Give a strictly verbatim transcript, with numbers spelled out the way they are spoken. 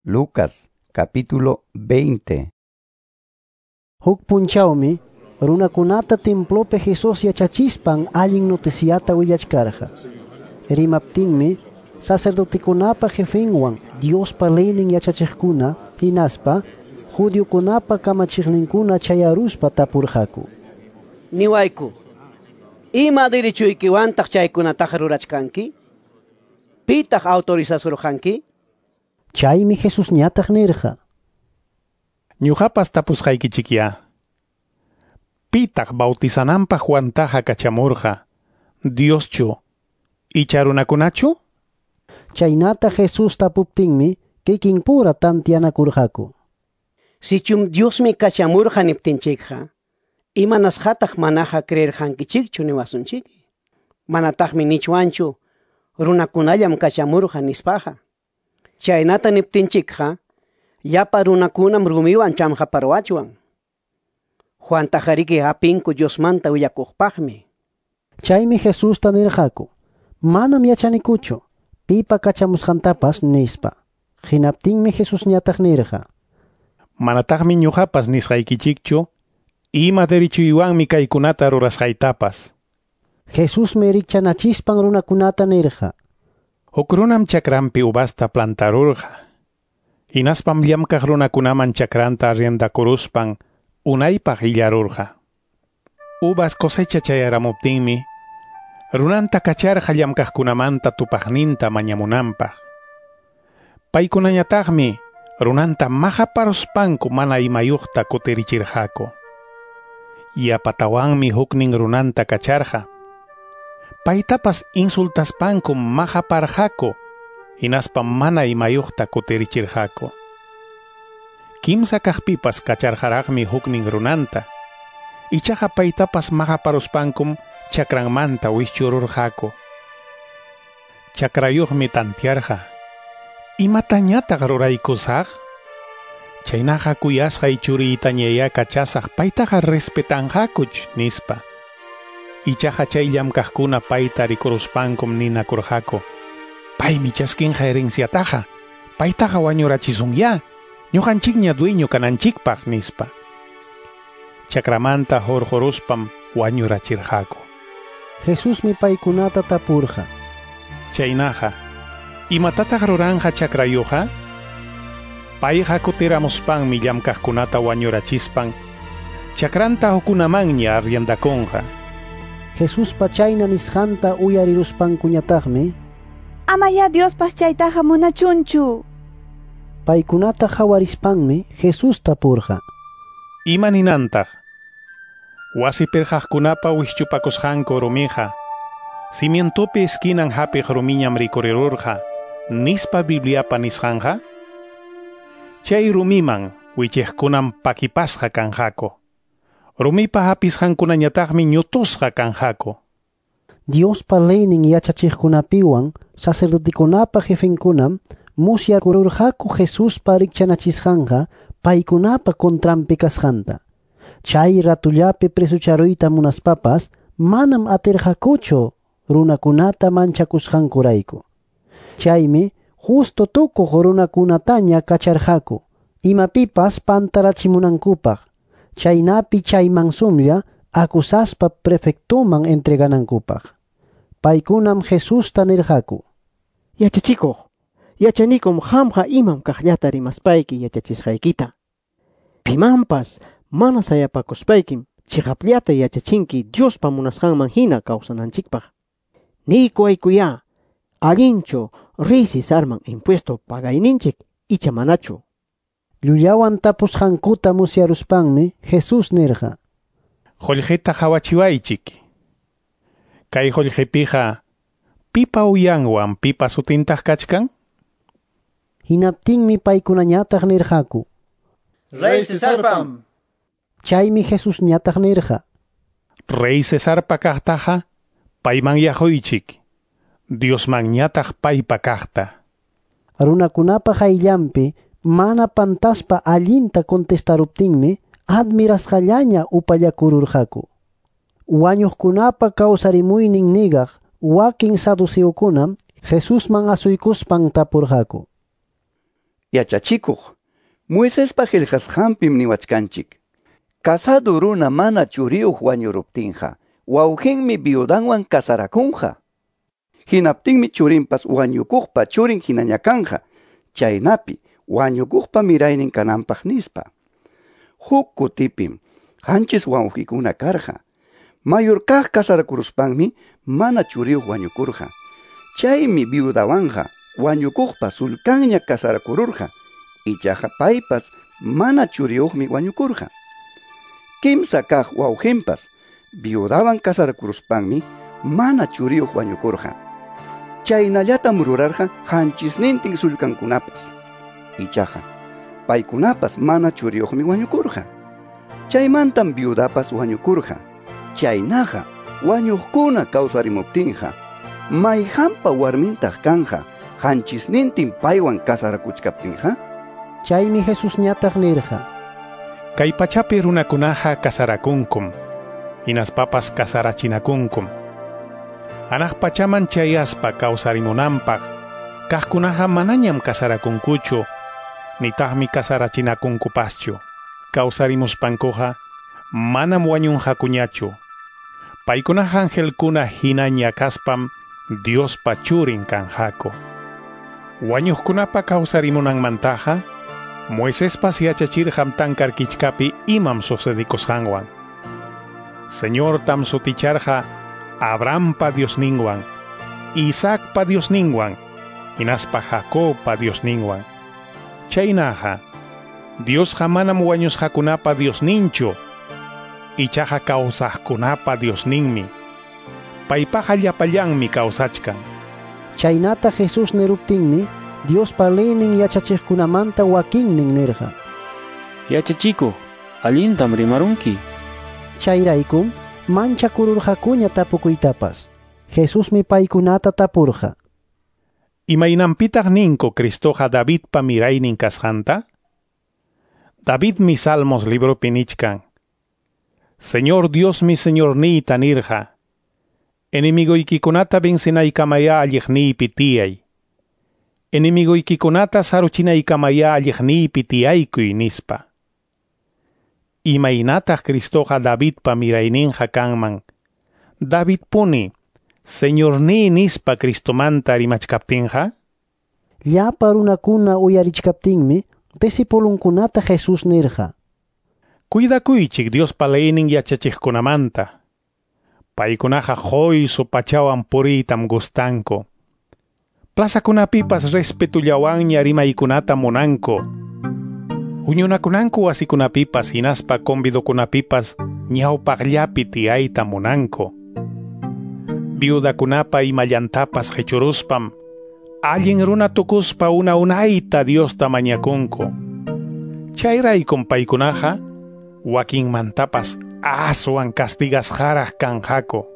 Lucas capítulo veinte. Huk punchawmi runakunata templopi Jesús yachachispan allin noticiata willachkarqa. Rimaptinmi sacerdotekunapa jefenwan Diospa leynin yachachiqkuna hinaspa judiokunapa kamachiqninkuna chayaruspa tapurqaku. Niwayku, ima derechoykiwantaq chaykunataqa rurachkanki? Pitaq autorizasurqanki? Chaymi Jesusñataq nirqa: Ñuqapas tapusqaykichikya. Pitaq bautizananpaq Juantaqa kachamurqa, Dioschu icha runakunachu? Chaynata Jesús tapuptinmi kikinpura tantianakurqaku. Sichum Diosmi kachamurqa niptinchikqa, imanasqataq manaqa creerqankichikchu niwasunchik? Manataqmi nichwanchu runakunallam kachamurqa nispaqa. Chaynata niptinchikqa, llapa runakunam rumiwan chamqaparwachwan. Juantaqa hapinku Diosmanta willakuqpaqmi. Chaymi Jesusta nirqaku: Manam yachanikuchu pipa kachamusqantapas nispa. Hinaptinmi Jesusñataq nirqa: Manataqmi ñuqapas nisqaykichikchu ima derechuywanmi kaykunata rurasqaytapas. Jesusmi rikchanachispan runakunata nirqa: Huk runam chakranpi uvasta plantarurqa. Hinaspam llamkaq runakunaman chakranta arriendakuruspan unaypaq illarurqa. Uvas cosecha chayaramuptinmi runanta kacharqa llamkaqkunamanta tupaqninta mañamunanpaq. Paykunañataqmi runanta maqaparuspanku mana imayuqta kutirichirqaku. Yapatawanmi huknin runanta kacharqa. Paytapas insultaspanku maqaparqaku, hinaspa mana imayuqta kutirichirqaku. Kimsa kaqpipas kacharqaraqmi huknin runanta. Ichaqa paytapas maqaparuspankum chakranmanta wischururqaku. Chakrayuqmi tantiarqa: Imatañataq ruraykusaq? Chaynaqa kuyasqay churiytañayá kachasaq, paytaqa respetanqakuch, nispa. Ichaqa chay llamkaqkuna payta rikuruspankum ninakurqaku: Paymi chaskinqa herenciataqa, paytaqa wañurachisunyá, ñuqanchikña dueño kananchikpaq, nispa. Chakramanta hurquruspam wañurachirqaku. Jesusmi paykunata tapurqa: Chaynaqa, imatataq ruranqa chakrayuqa? Payqa kutiramuspanmi llamkaqkunata wañurachispan chakranta hukunamanña arriendakunqa. Jesuspa chayna nisqanta uyariruspankuñataqmi: Amaya Diospas chaytaqa munachunchu. Paykunata hawarispanmi Jesús tapurqa: Ima ninantaq? Wasi pirqaqkunapa wischupakusqanku rumiqa cimientopi esquinan hapiq rumiñam rikurirurqa, nispa Bibliapa nisqanqa? Chay rumiman wichiqkunam pakipasqa kanqaku. Rumipa hapisqankunañataqmi ñutusqa kanqaku. Diospa leynin yachachiqkunapiwan sacerdotekunapa jefenkunam musyakururqaku Jesuspa rikchanachisqanqa paykunapa contranpi kasqanta. Chay ratullapi presucharuyta munaspapas manam atirqakuchu runakunata manchakusqankurayku. Chaymi justo tukuq runakunataña kacharqaku imapipas pantarachimunankupaq, chaynapi chayman sumlla acusaspa prefectoman entreganankupaq. Paykunam Jesusta nirqaku: Yachachikuq, yachanikum qamqa imam kaqllata rimaspayki yachachisqaykita. Pimanpas mana sayapakuspaykim chiqapllata yachachinki Diospa munasqanman hina kawsananchikpaq. Niykuwaykuyá, allinchu rey Cesarman impuesto pagayninchik icha manachu? Llullawan tapusqankuta musyaruspanmi Jesús nirqa: Qullqita hawachiwaychik. Kay qullqipiqa pipa uyanwan pipa sutintaq kachkan? Hinaptinmi paykunañataq nirqaku: Rey Cesarpam. Chaymi Jesusñataq nirqa: Rey Cesarpa kaqtaqa payman yaquychik, Diosmanñataq paypa kaqta. Runakunapa qayllanpi mana pantaspa allinta contestaruptinmi admirasqallaña upallakururqaku. Wañuqkunapa kawsarimuynin nigaq wakin saduceokunam Jesusman asuykuspan tapurqaku: Yachachikuq, Moisespa qillqasqanpim niwachkanchik. Casado runa mana churiyuq wañuruptinqa, wawqinmi viudanwan casarakunqa. Hinaptinmi churinpas wañukuqpa churin hinaña kanqa, chaynapi wañukuqpa miraynin kananpaq nispa. Huk kutipim qanchis wawqikuna karqa. Mayor kaq casarakuruspanmi mana churiyuq wañukurqa. Chaymi viudawanqa wañukuqpa sulkanña casarakururqa. Ichaqa paypas mana churiyuqmi wañukurqa. Kimsa kaq wawqinpas viudawan casarakuruspanmi mana churiyuq wañukurqa. Chaynallatam rurarqa qanchisnintin sulkankunapas. Ichaqa paykunapas mana churiyuqmi wañukurqa. Chaymantam viudapas wañukurqa. Chaynaqa wañuqkuna kawsarimuptinqa mayqanpa warmintaq kanqa qanchisnintin paywan casarakuchkaptinqa? Chaymi Jesusñataq nirqa: Kay pachapi runakunaqa casarakunkum, hinaspapas casarachinakunkum. Hanaq pachaman chayaspa kawsarimunanpaq kaqkunaqa manañam casarakunkuchu, nitaqmi casarachinakunkupaschu. Kawsarimuspankuqa manam wañunqakuñachu. Paykunaqa angelkuna hinaña kaspam Diospa churin kanqaku. Wañuqkunapa kawsarimunanmantaqa Moisespas yachachirqam tankar kichkapi imam sucedikusqanwan. Señortam suticharqa Abrahampa Diosninwan, Isaacpa Diosninwan, hinaspa Jacobpa Diosninwan. Chaynaqa, Diosqa manam wañusqakunapa Diosninchu, ichaqa kawsaqkunapa Diosninmi. Paypaqa llapallanmi kawsachkan. Chaynata Jesús niruptinmi Diospa leynin yachachiqkunamanta wakinnin nirqa: Yachachikuq, allintam rimarunki. Chayraykum manchakururqakuña tapukuytapas. Jesusmi paykunata tapurqa: Imaynanpitaq ninku Cristoqa Davidpa miraynin kasqanta? Davidmi Salmos libropi nichkan: Señor Diosmi Señorniyta nirqa, enemigoykikunata vencinaykamaya alliqniypi tiyay. Enemigoykikunata saruchinaykamaya alliqniypi tiyaykuy nispa. Imaynataq Cristoqa Davidpa mirayninqa kanman? Davidpuni Señorniy nispa Cristomanta rimachkaptinqa? Llapa runakuna uyarichkaptinmi discipulunkunata Jesús nirqa: Cuidakuychik Diospa leynin yachachiqkunamanta. Paykunaqa quysu pachawan puriytam gustanku. Plazakunapipas respetullawanña rimaykunata munanku. Huñunakunanku wasikunapipas hinaspa convidokunapipas ñawpaqllapi tiyayta munanku. Viudakunapa imallantapas qichuruspam allin runa tukuspa una unayta Diosta mañakunku. Chayraykum paykunaqa wakinmantapas aswan castigasqaraq kanqaku.